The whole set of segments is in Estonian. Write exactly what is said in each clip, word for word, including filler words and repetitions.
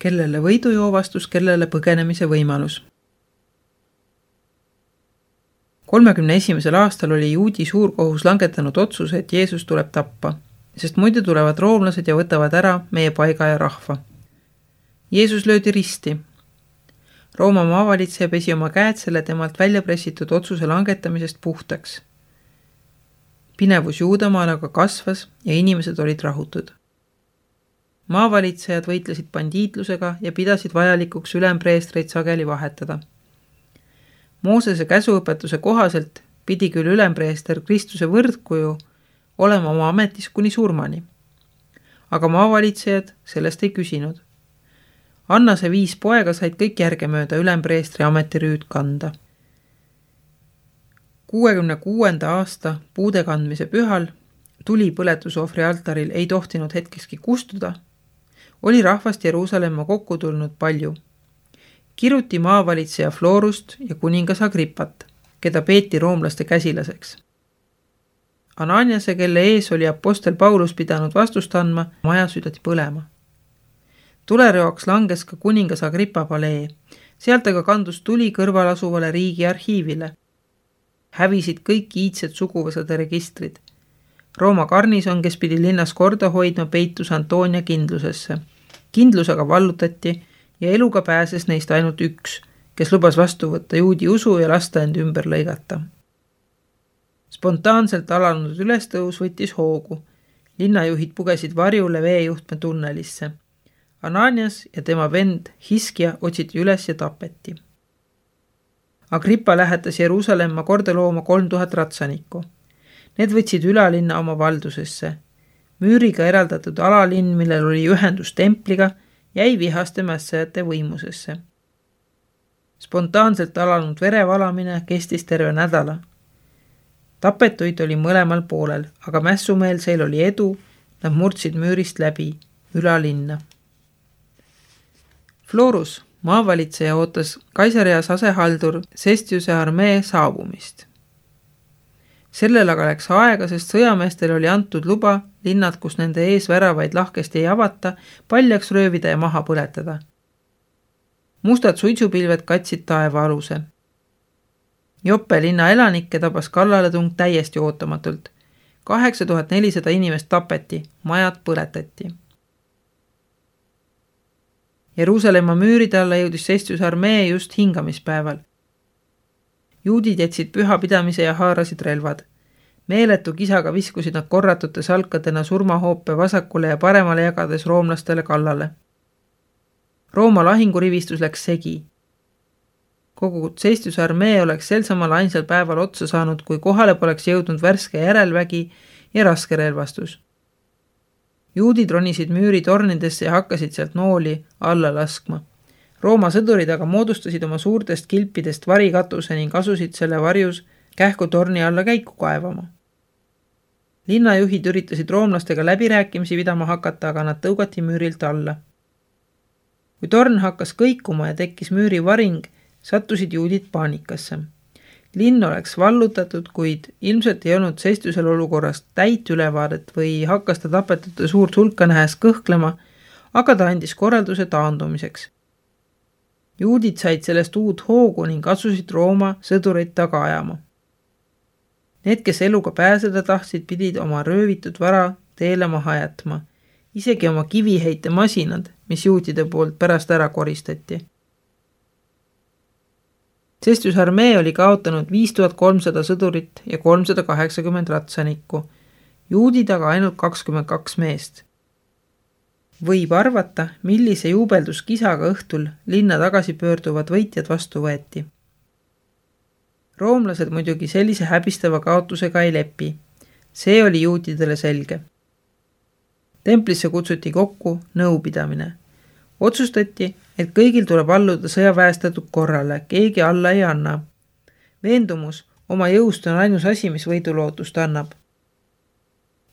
kellele võidujoovastus, kellele põgenemise võimalus. kolmekümne esimesel aastal oli juudi suurkohus langetanud otsuse, et Jeesus tuleb tappa, sest muidu tulevad roomlased ja võtavad ära meie paiga ja rahva. Jeesus löödi risti. Rooma maavalitseja pesi oma käed selle temalt välja pressitud otsuse langetamisest puhtaks. Pinevus Juudamaal aga kasvas ja inimesed olid rahutud. Maavalitsejad võitlesid bandiitlusega ja pidasid vajalikuks ülempreestreid sageli vahetada. Moosese käsuõpetuse kohaselt pidi küll ülempreester Kristuse võrdkuju olema oma ametis kuni surmani. Aga maavalitsejad sellest ei küsinud. Annase viis poega said kõik järgemööda ülempreestri ametirüüd kanda. kuuekümne kuuenda aasta puude kandmise pühal tuli põletusohvri altaril ei tohtinud hetkekski kustuda, oli rahvast Jeruusalemma kokku tulnud palju. Kiruti maavalitseja Florust ja kuningas Agrippat, keda peeti roomlaste käsilaseks. Ananiase, kelle ees oli apostel Paulus pidanud vastust andma, maja südati põlema. Tulereoks langes ka kuningas Agrippa palee, sealt aga kandus tuli kõrval asuvale riigi arhiivile. Hävisid kõik iidsed suguvõsade registrid. Rooma garnison, kes pidi linnas korda hoidma, peitus Antonia kindlusesse. Kindlus aga vallutati ja eluga pääses neist ainult üks, kes lubas vastu võtta juudi usu ja lasta end ümber lõigata. Spontaanselt alanud ülestõus võttis hoogu. Linnajuhid pugesid varjule veejuhtme tunnelisse. Ananias ja tema vend Hiskia otsiti üles ja tapeti. Agrippa lähetas Jeruusalemma korda looma kolm tuhat ratsanikku. Need võtsid ülalinna oma valdusesse. Müüriga eraldatud alalinn, millel oli ühendus templiga, jäi vihaste mässajate võimusesse. Spontaanselt alanud verevalamine kestis terve nädala. Tapetuid oli mõlemal poolel, aga mässumeelseil oli edu, nad murdsid müürist läbi ülalinna. Florus, maavalitseja, ootas Kaisareas asehaldur Sestiuse armee saabumist. Sellel aga läks aega, sest sõjameestel oli antud luba linnad, kus nende ees väravaid lahkesti ei avata, paljaks röövida ja maha põletada. Mustad suitsupilved katsid taeva aluse. Joppe linna elanikke tabas kallaletung täiesti ootamatult. kaheksa tuhat nelisada inimest tapeti, majad põletati. Jeruusalemma müüride alla jõudis Sestiuse armee just hingamispäeval. Juudid jätsid pühapidamise ja haarasid relvad. Meeletu kisaga viskusid nad korratute salkadena surmahoope vasakule ja paremale jagades roomlastele kallale. Rooma lahingurivistus läks segi. Kogu Sestiuse armee oleks sel samal ainsal päeval otsa saanud, kui kohale poleks jõudnud värske järelvägi ja raske relvastus. Juudid ronisid müüri tornidesse ja hakkasid sealt nooli alla laskma. Rooma sõdurid aga moodustasid oma suurtest kilpidest varikatuse ning asusid selle varjus kähku torni alla käiku kaevama. Linnajuhid üritasid roomlastega läbirääkimisi pidama hakata, aga nad tõugati müürilt alla. Kui torn hakkas kõikuma ja tekkis müüri varing, sattusid juudid paanikasse. Linn oleks vallutatud, kuid ilmselt ei olnud Sestiusel olukorrast täit ülevaadet või hakkas ta tapetute suurt hulka nähes kõhklema, aga ta andis korralduse taandumiseks. Juudid said sellest uut hoogu ning asusid Rooma sõdureid taga ajama. Need, kes eluga pääseda tahtsid, pidid oma röövitud vara teele maha jätma, isegi oma kiviheite masinad, mis juutide poolt pärast ära koristati. Sestiuse armee oli kaotanud viis tuhat kolmsada sõdurit ja kolmsada kaheksakümmend ratsanikku, juudid aga ainult kakskümmend kaks meest. Võib arvata, millise juubelduskisaga õhtul linna tagasi pöörduvad võitjad vastu võeti. Roomlased muidugi sellise häbistava kaotusega ei lepi. See oli juutidele selge. Templisse kutsuti kokku nõupidamine. Otsustati, et kõigil tuleb alluda sõjaväestatud korrale, keegi alla ei anna. Veendumus oma jõust on ainus asi, mis võidulootust annab.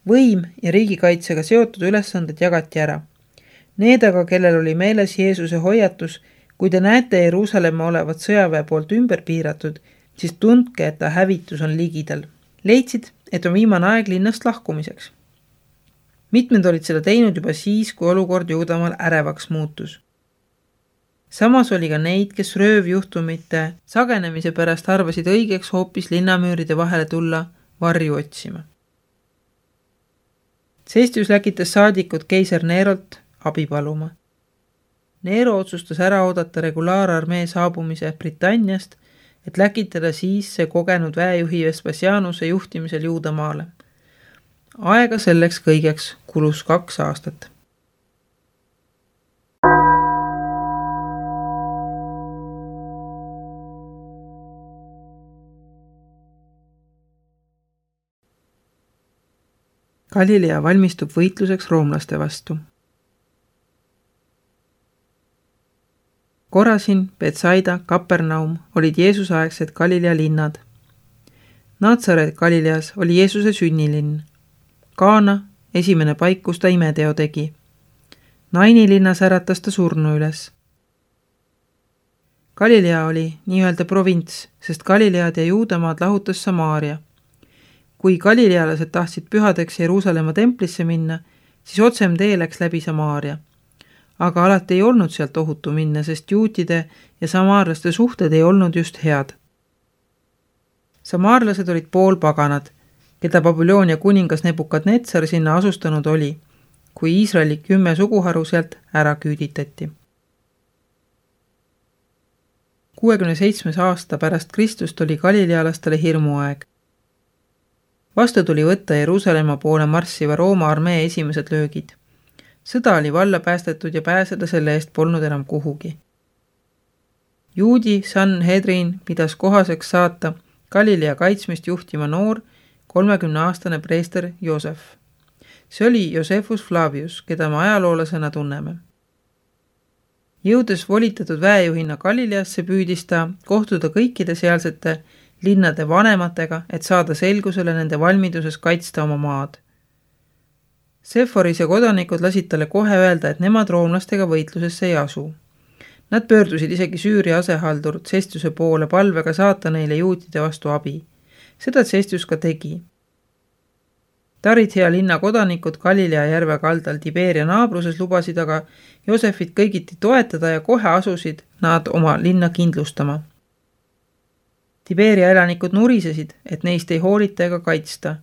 Võim ja riigikaitsega seotud ülesanded jagati ära. Need aga, kellel oli meeles Jeesuse hoiatus, kui te näete Jeruusalemma olevat sõjaväe poolt ümber piiratud, siis tundke, et ta hävitus on ligidal. Leidsid, et on viimane aeg linnast lahkumiseks. Mitmed olid seda teinud juba siis, kui olukord Juudamaal ärevaks muutus. samas oli ka neid, kes röövjuhtumite sagenemise pärast arvasid õigeks hoopis linnamüüride vahele tulla varju otsima. Cestius läkitas saadikud keiser Nerolt abi paluma. Nero otsustas ära oodata regulaararmee saabumise Britanniast, et läkitada siis see kogenud väejuhi Vespasianuse juhtimisel Juudamaale. Aega selleks kõigeks kulus kaks aastat. Galilea valmistub võitluseks roomlaste vastu. Korasin, Betsaida, Kapernaum olid Jeesusaegsed Galilea linnad. Natsaret Galileas oli Jeesuse sünnilinn. Kaana, esimene paik, kus ta imeteo tegi. Naini linnas äratas ta surnu üles. Galilea oli nii-öelda provints, sest Galilead ja Juudamaad lahutas Samaaria. Kui galilealased tahtsid pühadeks Jeruusalemma templisse minna, siis otsem tee läks läbi Samaaria. Aga alati ei olnud sealt ohutu minna, sest juutide ja samaarlaste suhted ei olnud just head. Samaarlased olid poolpaganad, keda Babyloonia kuningas Nebukadnetsar sinna asustanud oli, kui Iisraeli kümme suguharu sealt ära küüditati. kuuekümne seitsmes aasta pärast Kristust oli galilealastele hirmuaeg. Vastu tuli võtta Jeruusalemma poole marssiva Rooma armee esimesed löögid. Sõda oli valla päästetud ja pääseda selle eest polnud enam kuhugi. Juudi Sanhedrin pidas kohaseks saata Galilea kaitsmist juhtima noor kolmekümneaastane preester Joosef. See oli Josephus Flavius, keda me ajaloolasena tunneme. Jõudes volitatud väejuhina Galileasse püüdis ta kohtuda kõikide sealsete linnade vanematega, et saada selgusele nende valmiduses kaitsta oma maad. Seforis ja kodanikud lasid talle kohe öelda, et nemad roomlastega võitlusesse ei asu. Nad pöördusid isegi Süüria asehaldur Cestiuse poole palvega saata neile juutide vastu abi. Seda Cestius ka tegi. Tarithea linna kodanikud Galilea järve kaldal Tiberia naabruses lubasid aga Joosefit kõigiti toetada ja kohe asusid nad oma linna kindlustama. Tiberia elanikud nurisesid, et neist ei hoolita ega kaitsta.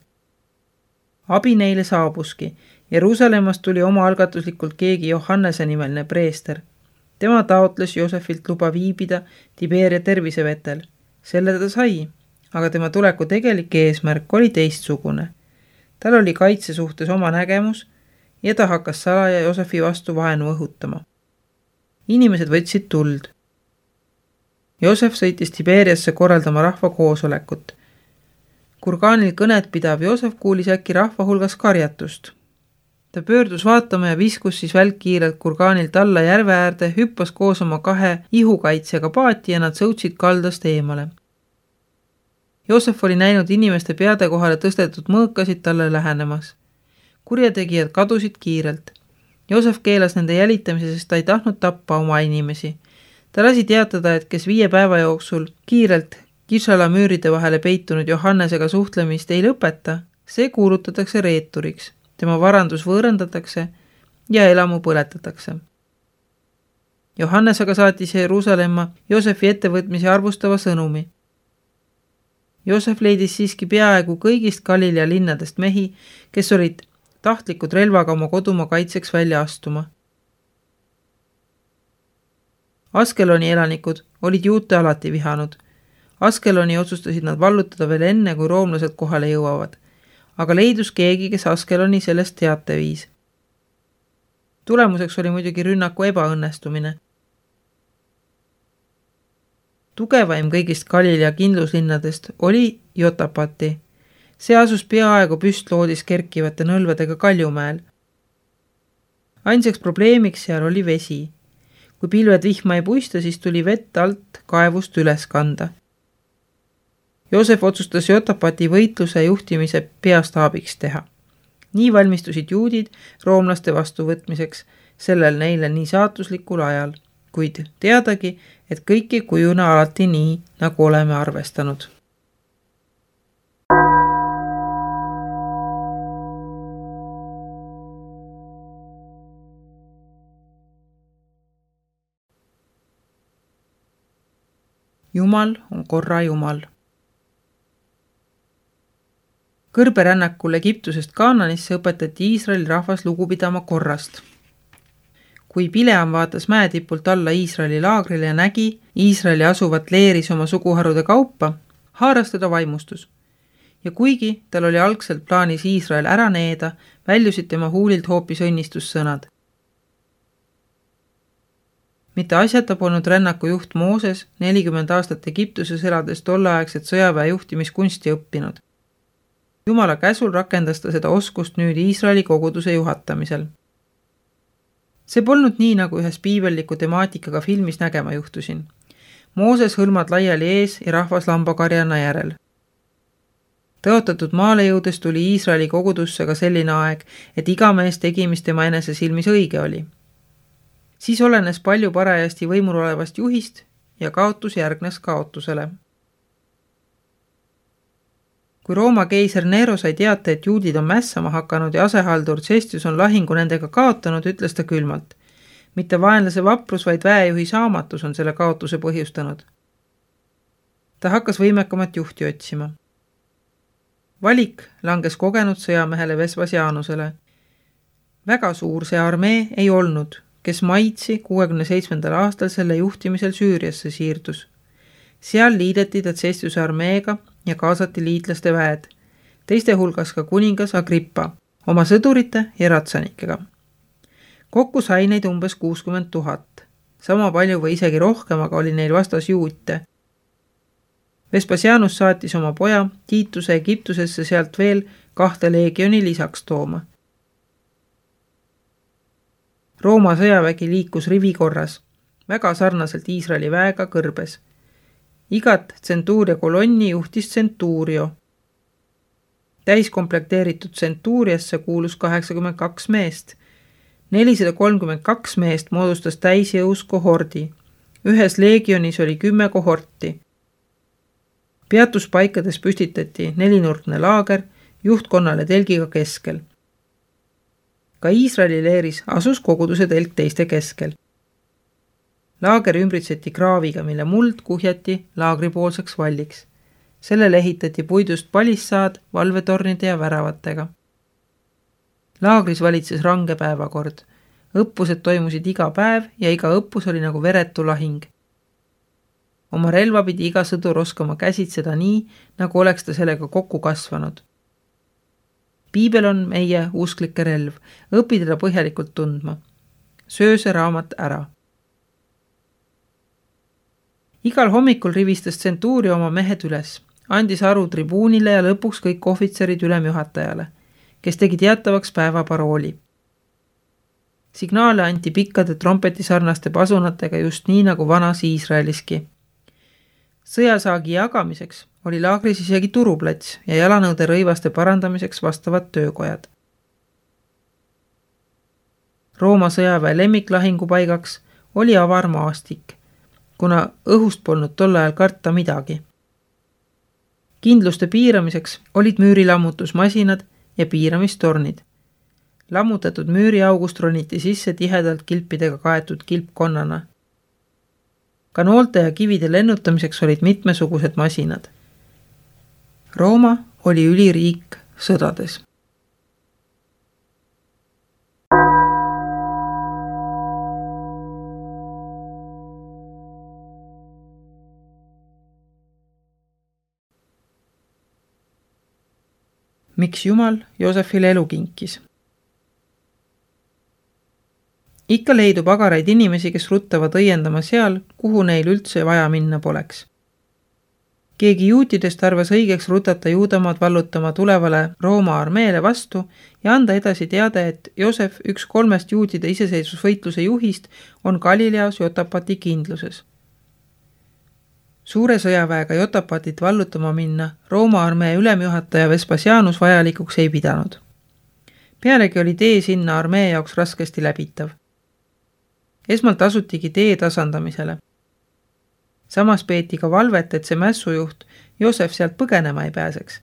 Abi neile saabuski. Jeruusalemmast tuli oma algatuslikult keegi Johannese nimeline preester. Tema taotles Joosefilt luba viibida Tiberia tervisevetel. Selle ta sai, aga tema tuleku tegelik eesmärk oli teistsugune. Tal oli kaitse suhtes oma nägemus ja ta hakkas salaja Joosefi vastu vaenu õhutama. Inimesed võtsid tuld. Joosef sõitis Tiberiasse korraldama rahva koosolekut. Kurgaanil kõnet pidav Joosef kuulis äkki rahva hulgas karjatust. Ta pöördus vaatama ja viskus siis välkkiirelt Kurgaanilt alla järve äärde, hüppas koos oma kahe ihukaitsjaga paati ja nad sõutsid kaldast eemale. Joosef oli näinud inimeste peade kohale tõstetud mõõkasid talle lähenemas. Kurjategijad kadusid kiirelt. Joosef keelas nende jälitamise, sest ta ei tahtnud tappa oma inimesi. Ta lasi teatada, et kes viie päeva jooksul kiirelt Kishala müüride vahele peitunud Johannesega suhtlemist ei lõpeta, see kuulutatakse reeturiks, tema varandus võõrandatakse ja elamu põletatakse. Johannes aga saatis Jeruusalemma Joosefi ettevõtmise arvustava sõnumi. Joosef leidis siiski peaaegu kõigist Galilea linnadest mehi, kes olid tahtlikud relvaga oma kodumaa kaitseks välja astuma. Askeloni elanikud olid juute alati vihanud. Askeloni otsustasid nad vallutada veel enne, kui roomlased kohale jõuavad, aga leidus keegi, kes Askeloni sellest teate viis. Tulemuseks oli muidugi rünnaku ebaõnnestumine. Tugevaim kõigist Galilea kindluslinnadest oli Jotapati. See asus peaaegu püstloodis kerkivate nõlvedega Kaljumäel. Ainsaks probleemiks seal oli vesi. Kui pilved vihma ei puista, siis tuli vett alt kaevust üles kanda. Joosef otsustas Jotapati võitluse juhtimise peastaabiks teha. Nii valmistusid juudid roomlaste vastuvõtmiseks sellel neile nii saatuslikul ajal, kuid teadagi, et kõik ei kujune alati nii, nagu oleme arvestanud. Jumal on korra Jumal. Kõrberännakul Egiptusest Kaananisse õpetati Iisraeli rahvas lugu pidama korrast. Kui Bileam vaatas mäetipult alla Iisraeli laagrile ja nägi Iisraeli asuvat leeris oma suguharude kaupa, haaras teda vaimustus. Ja kuigi tal oli algselt plaanis Iisrael ära needa, väljusid tema huulilt hoopis õnnistussõnad. Mitte asjata polnud rännaku juht Mooses nelikümmend aastat Egiptuses elades tolleaegset sõjaväe juhtimiskunsti õppinud. Jumala käsul rakendas ta seda oskust nüüd Iisraeli koguduse juhatamisel. See polnud nii, nagu ühes piibelliku temaatikaga filmis nägema juhtusin. Mooses hõlmad laiali ees ja rahvas lambakarjana järel. Tõotatud maale jõudes tuli Iisraeli kogudusse ka selline aeg, et iga mees tegi, mis tema enese silmis õige oli. Siis olenes palju parajasti võimul olevast juhist ja kaotus järgnes kaotusele. Kui Rooma keiser Nero sai teate, et juudid on mässama hakanud ja asehaldur Cestius on lahingu nendega kaotanud, ütles ta külmalt. Mitte vaenlase vaprus, vaid väejuhi saamatus on selle kaotuse põhjustanud. Ta hakkas võimekamat juhti otsima. Valik langes kogenud sõjamehele Vespasianusele. Väga suur see armee ei olnud, kes maitsi kuuekümne seitsmendal aastal selle juhtimisel Süüriasse siirdus. Seal liideti ta Cestiuse armeega ja kaasati liitlaste väed, teiste hulgas ka kuningas Agrippa, oma sõdurite ja ratsanikega. Kokku sai neid umbes kuuskümmend tuhat. Sama palju või isegi rohkem, aga oli neil vastas juute. Vespasianus saatis oma poja Tiituse Egiptusesse sealt veel kahte leegioni lisaks tooma. Rooma sõjavägi liikus rivikorras, väga sarnaselt Iisraeli väega kõrbes. Igat tsentuuria kolonni juhtis tsentuurio. Täiskomplekteeritud tsentuuriasse kuulus kaheksakümmend kaks meest. nelisada kolmkümmend kaks meest moodustas täisjõus kohordi. Ühes leegionis oli kümme kohorti. Peatuspaikades püstitati nelinurkne laager juhtkonnale telgiga keskel. Ka Iisraeli leeris asus koguduse telk teiste keskel. Laager ümbritseti kraaviga, mille muld kuhjati laagripoolseks valliks. Sellele ehitati puidust palissaad valvetornide ja väravatega. Laagris valitses range päevakord. Õppused toimusid iga päev ja iga õppus oli nagu veretu lahing. Oma relva pidi iga sõdur oskama käsitseda nii, nagu oleks ta sellega kokku kasvanud. Piibel on meie usklike relv, õpi teda põhjalikult tundma. Söö see raamat ära. Igal hommikul rivistas tsentuuri oma mehed üles, andis aru tribuunile ja lõpuks kõik ohvitserid ülemjuhatajale, kes tegi teatavaks päeva parooli. Signaale anti pikkade trompetisarnaste pasunatega just nii nagu vanas Iisraeliski. Sõjasaagi jagamiseks oli laagris isegi turuplats ja jalanõude rõivaste parandamiseks vastavad töökojad. Rooma sõjaväe lemmiklahingupaigaks oli avar maastik, kuna õhust polnud tol ajal karta midagi. Kindluste piiramiseks olid müürilammutusmasinad ja piiramistornid. Lammutatud müüriaugust roniti sisse tihedalt kilpidega kaetud kilpkonnana. Ka noolte ja kivide lennutamiseks olid mitmesugused masinad. Rooma oli üliriik sõdades. Miks Jumal Joosefile elu kinkis? Ikka leidub agaraid inimesi, kes ruttavad õiendama seal, kuhu neil üldse vaja minna poleks. Keegi juutidest arvas õigeks rutata Juudamaad vallutama tulevale Rooma armeele vastu ja anda edasi teade, et Joosef, üks kolmest juutide iseseisvusvõitluse juhist, on Galileas Jotapati kindluses. Suure sõjaväega Jotapatit vallutama minna Rooma armee ülemjuhataja Vespasianus vajalikuks ei pidanud. Pealegi oli tee sinna armee jaoks raskesti läbitav. Esmalt asutigi tee tasandamisele. Samas peeti ka valvet, et see mässujuht Joosef sealt põgenema ei pääseks.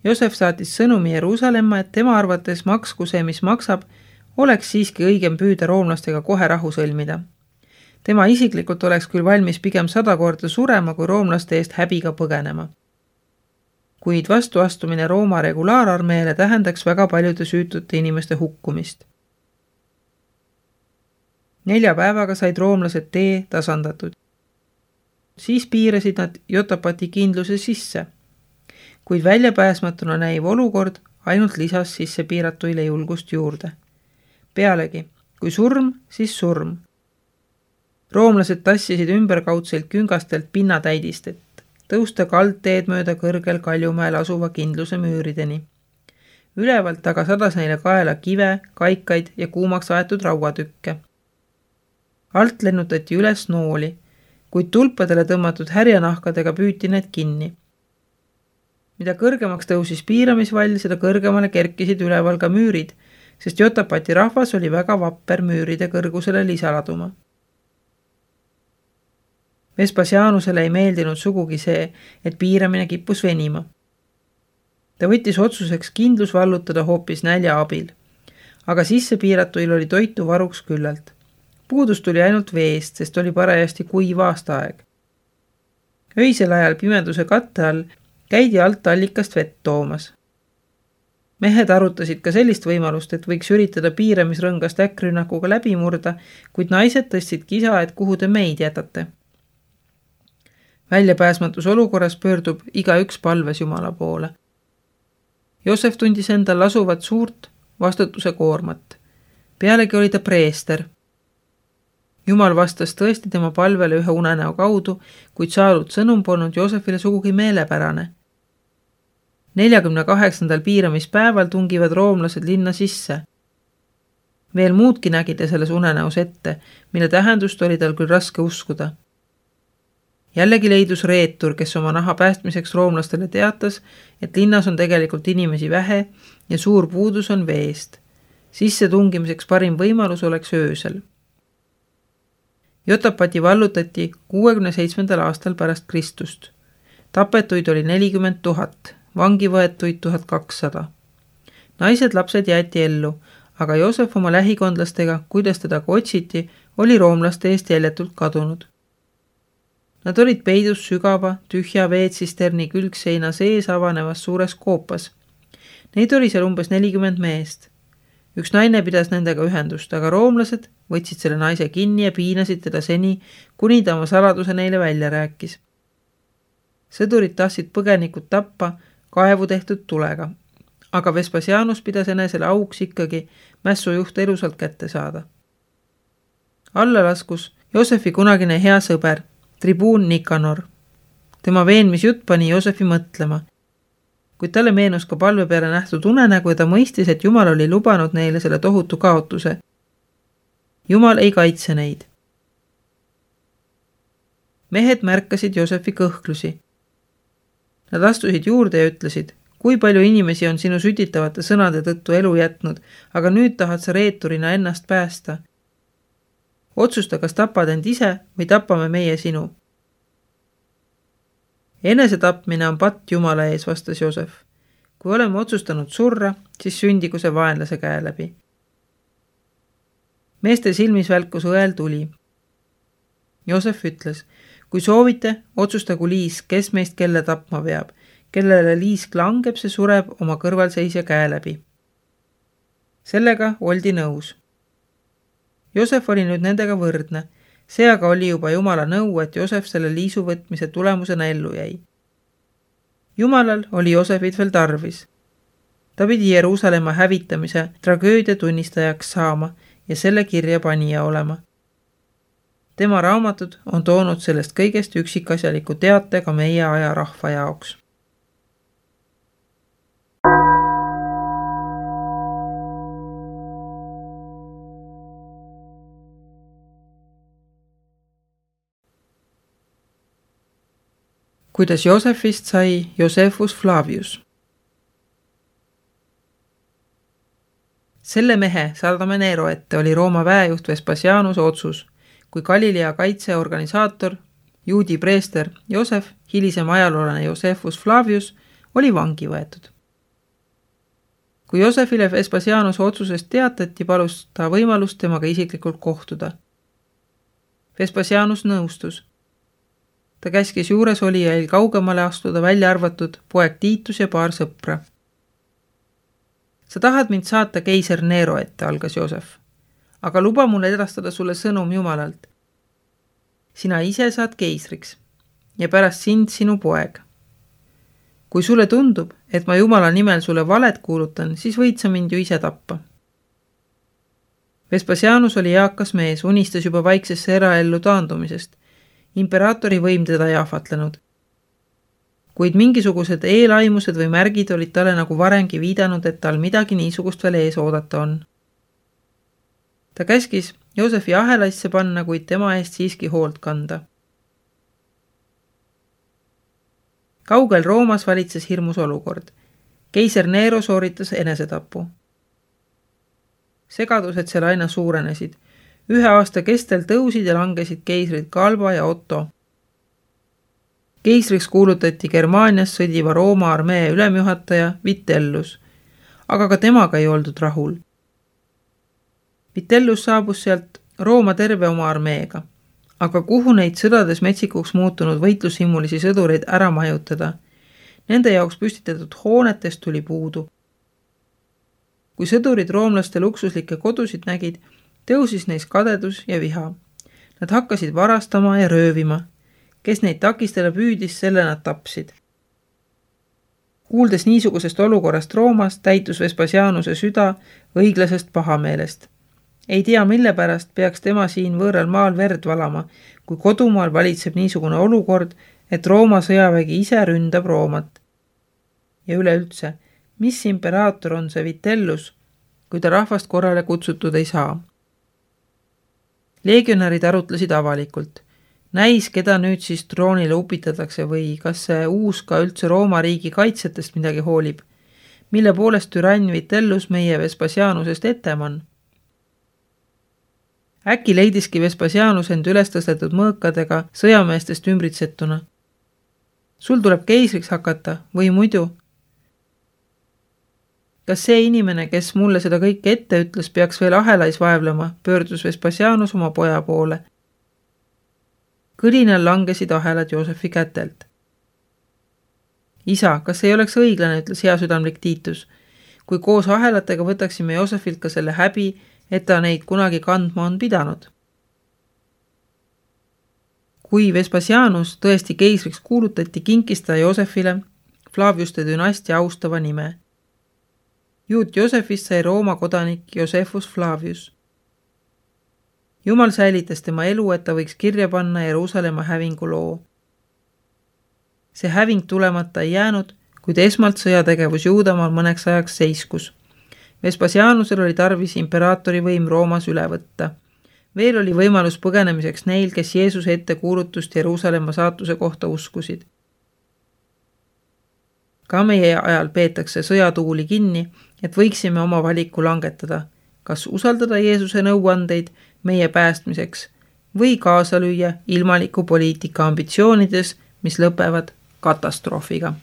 Joosef saatis sõnumi Jeruusalemma, et tema arvates maksku see, mis maksab, oleks siiski õigem püüda roomlastega kohe rahu sõlmida. Tema isiklikult oleks küll valmis pigem sada korda surema kui roomlaste eest häbiga põgenema. Kuid vastuastumine Rooma regulaararmeele tähendaks väga paljude süütute inimeste hukkumist. Nelja päevaga said roomlased tee tasandatud. Siis piirasid nad Jotapati kindluse sisse, kuid väljapääsmatuna näiv olukord ainult lisas sisse piiratuile julgust juurde. Pealegi, kui surm, siis surm. Roomlased tassisid ümberkaudselt küngastelt pinnatäidist, et tõusta kaldteed mööda kõrgel Kaljumäel asuva kindluse müürideni. Ülevalt aga sadas neile kaela kive, kaikaid ja kuumaks aetud rauatükke. Alt lennutati üles nooli, kuid tulpadele tõmmatud härjanahkadega püüti need kinni. Mida kõrgemaks tõusis piiramisvall, seda kõrgemale kerkisid üleval ka müürid, sest Jotapati rahvas oli väga vapper müüride kõrgusele lisaladuma. Vespasianusele ei meeldinud sugugi see, et piiramine kippus venima. Ta võttis otsuseks kindlus vallutada hoopis nälja abil, aga sisse piiratuil oli toitu varuks küllalt. Puudus tuli ainult veest, sest oli parajasti kuiv aastaaeg. Öisel ajal pimeduse katte all käidi alt allikast vett toomas. Mehed arutasid ka sellist võimalust, et võiks üritada piiramisrõngast äkkrünnakuga läbi murda, kuid naised tõstsid kisa, et kuhu te meid jätate. Väljapääsmatus olukorras pöördub igaüks palves Jumala poole. Joosef tundis endal asuvat suurt vastutuse koormat. Pealegi oli ta preester. Jumal vastas tõesti tema palvele ühe unenäo kaudu, kuid saadud sõnum polnud Joosefile sugugi meelepärane. neljakümne kaheksandal piiramispäeval tungivad roomlased linna sisse. Veel muudki nägi ta selles unenäos ette, mille tähendust oli tal küll raske uskuda. Jällegi leidus reetur, kes oma naha päästmiseks roomlastele teatas, et linnas on tegelikult inimesi vähe ja suur puudus on veest. Sisse tungimiseks parim võimalus oleks öösel. Jotapati vallutati kuuekümne seitsmendal aastal pärast Kristust. Tapetuid oli nelikümmend tuhat, vangi võetuid tuhat kakssada. Naised lapsed jäeti ellu, aga Joosef oma lähikondlastega, kuidas teda ka otsiti, oli roomlaste eest jäljetult kadunud. Nad olid peidus sügava, tühja veetsisterni külgseina sees avanevas suures koopas. Neid oli seal umbes nelikümmend meest. Üks naine pidas nendega ühendust, aga roomlased võtsid selle naise kinni ja piinasid teda seni, kuni ta oma saladuse neile välja rääkis. Sõdurid tahtsid põgenikud tappa kaevu tehtud tulega, aga Vespasianus pidas enesele auks ikkagi mässujuht elusalt kätte saada. Alla laskus Joosefi kunagine hea sõber, tribuun Nikanor. Tema veenmisjutt pani Joosefi mõtlema, kuid talle meenus ka palve peale nähtud unenägu ja ta mõistis, et Jumal oli lubanud neile selle tohutu kaotuse. Jumal ei kaitse neid. Mehed märkasid Joosefi kõhklusi. Nad astusid juurde ja ütlesid, kui palju inimesi on sinu sütitavate sõnade tõttu elu jätnud, aga nüüd tahad sa reeturina ennast päästa. Otsusta, kas tapad end ise või tapame meie sinu. Enese tapmine on patt Jumala ees, vastas Joosef. Kui oleme otsustanud surra, siis sündigu see vaenlase käe läbi. Meeste silmis välkus õel tuli. Joosef ütles, kui soovite, otsustagu liis, kes meist kelle tapma veab. Kellele liisk langeb, see sureb oma kõrvalseisja käe läbi. Sellega oldi nõus. Joosef oli nüüd nendega võrdne. See aga oli juba Jumala nõu, et Joosef selle liisu võtmise tulemusena ellu jäi. Jumalal oli Joosefit veel tarvis. Ta pidi Jeruusalemma hävitamise tragöödia tunnistajaks saama ja selle kirja panija olema. Tema raamatud on toonud sellest kõigest üksikasjaliku teate ka meie aja rahva jaoks. Kuidas Joosefist sai Josephus Flavius. Selle mehe saadame Nero ette oli Rooma väejuht Vespasianuse otsus, kui Galilea kaitseorganisaator, juudi preester Joosef, hilisem ajaloolane Josephus Flavius, oli vangi võetud. Kui Joosefile Vespasianuse otsusest teatati, palus ta võimalust temaga isiklikult kohtuda. Vespasianus nõustus. Ta käskis juures olijail kaugemale astuda, välja arvatud poeg Tiitus ja paar sõpra. Sa tahad mind saata keiser Nero ette, algas Joosef, aga luba mul edastada sulle sõnum Jumalalt. Sina ise saad keisriks ja pärast sind sinu poeg. Kui sulle tundub, et ma Jumala nimel sulle valet kuulutan, siis võid sa mind ju ise tappa. Vespasianus oli eakas mees, unistas juba vaiksesse eraellu taandumisest. Imperaatori võim teda ei ahvatlenud. Kuid mingisugused eelaimused või märgid olid talle nagu varengi viidanud, et tal midagi niisugust veel ees oodata on. Ta käskis Joosefi ahelaisse panna, kuid tema eest siiski hoolt kanda. Kaugel Roomas valitses hirmus olukord. Keiser Nero sooritas enesetapu. Segadused seal aina suurenesid. Ühe aasta kestel tõusid ja langesid keisrid Galba ja Otto. Keisriks kuulutati Germaanias sõdiva Rooma armee ülemjuhataja Vitellus, aga ka temaga ei oldud rahul. Vitellus saabus sealt Rooma terve oma armeega, aga kuhu neid sõdades metsikuks muutunud võitlushimulisi sõdureid ära majutada? Nende jaoks püstitatud hoonetest tuli puudu. Kui sõdurid roomlaste luksuslikke kodusid nägid, tõusis neis kadedus ja viha. Nad hakkasid varastama ja röövima. Kes neid takistada püüdis, selle nad tapsid. Kuuldes niisugusest olukorrast Roomas, täitus Vespasianuse süda õiglasest pahameelest. Ei tea, mille pärast peaks tema siin võõral maal verd valama, kui kodumaal valitseb niisugune olukord, et Rooma sõjavägi ise ründab Roomat. Ja üleüldse, mis imperaator on see Vitellus, kui ta rahvast korrale kutsutud ei saa? Legionärid arutlesid avalikult. Näis, keda nüüd siis troonile upitatakse või kas see uus ka üldse Rooma riigi kaitsetest midagi hoolib, mille poolest türann Vitellus meie Vespasianusest eteman. Äkki leidiski Vespasianus end üles tõstetud mõõkadega sõjameestest ümbritsetuna. Sul tuleb keisriks hakata või muidu? Kas see inimene, kes mulle seda kõike ette ütles, peaks veel ahelais vaevlema, pöördus Vespasianus oma poja poole. Kõlinal langesid ahelad Joosefi kätelt. Isa, kas ei oleks õiglane, ütles heasüdamlik Tiitus, kui koos ahelatega võtaksime Joosefilt ka selle häbi, et ta neid kunagi kandma on pidanud. Kui Vespasianus tõesti keisriks kuulutati, kinkis ta Joosefile Flaviuste dünastia austava nime. Juut Joosefist sai Rooma kodanik Josephus Flavius. Jumal säilitas tema elu, et ta võiks kirja panna Jeruusalemma hävingu loo. See häving tulemata ei jäänud, kuid esmalt sõjategevus Juudamaal mõneks ajaks seiskus. Vespasianusel oli tarvis imperaatori võim Roomas üle võtta. Veel oli võimalus põgenemiseks neil, kes Jeesuse ette kuulutust Jeruusalemma saatuse kohta uskusid. Ka meie ajal peetakse sõjatuuli kinni, et võiksime oma valiku langetada, kas usaldada Jeesuse nõuandeid meie päästmiseks või kaasa lüüa ilmaliku poliitika ambitsioonides, mis lõpevad katastroofiga.